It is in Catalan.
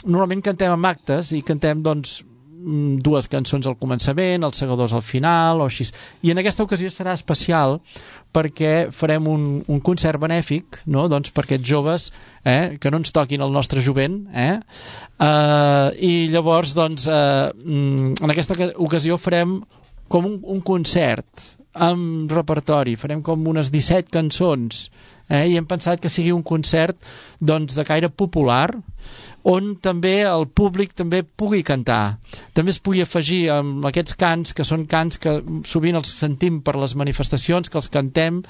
normalment cantem en actes i cantem, doncs, dues cançons al començament, els segadors al final o així, i en aquesta ocasió serà especial perquè farem un concert benèfic, no? Doncs per aquests joves que no ens toquin el nostre jovent, i llavors doncs en aquesta ocasió farem com un concert amb repertori, farem com unes 17 cançons, i hem pensat que sigui un concert doncs de caire popular on també el públic també pugui cantar, també es pugui afegir amb aquests cants que són cants que sovint els sentim per les manifestacions, que els cantem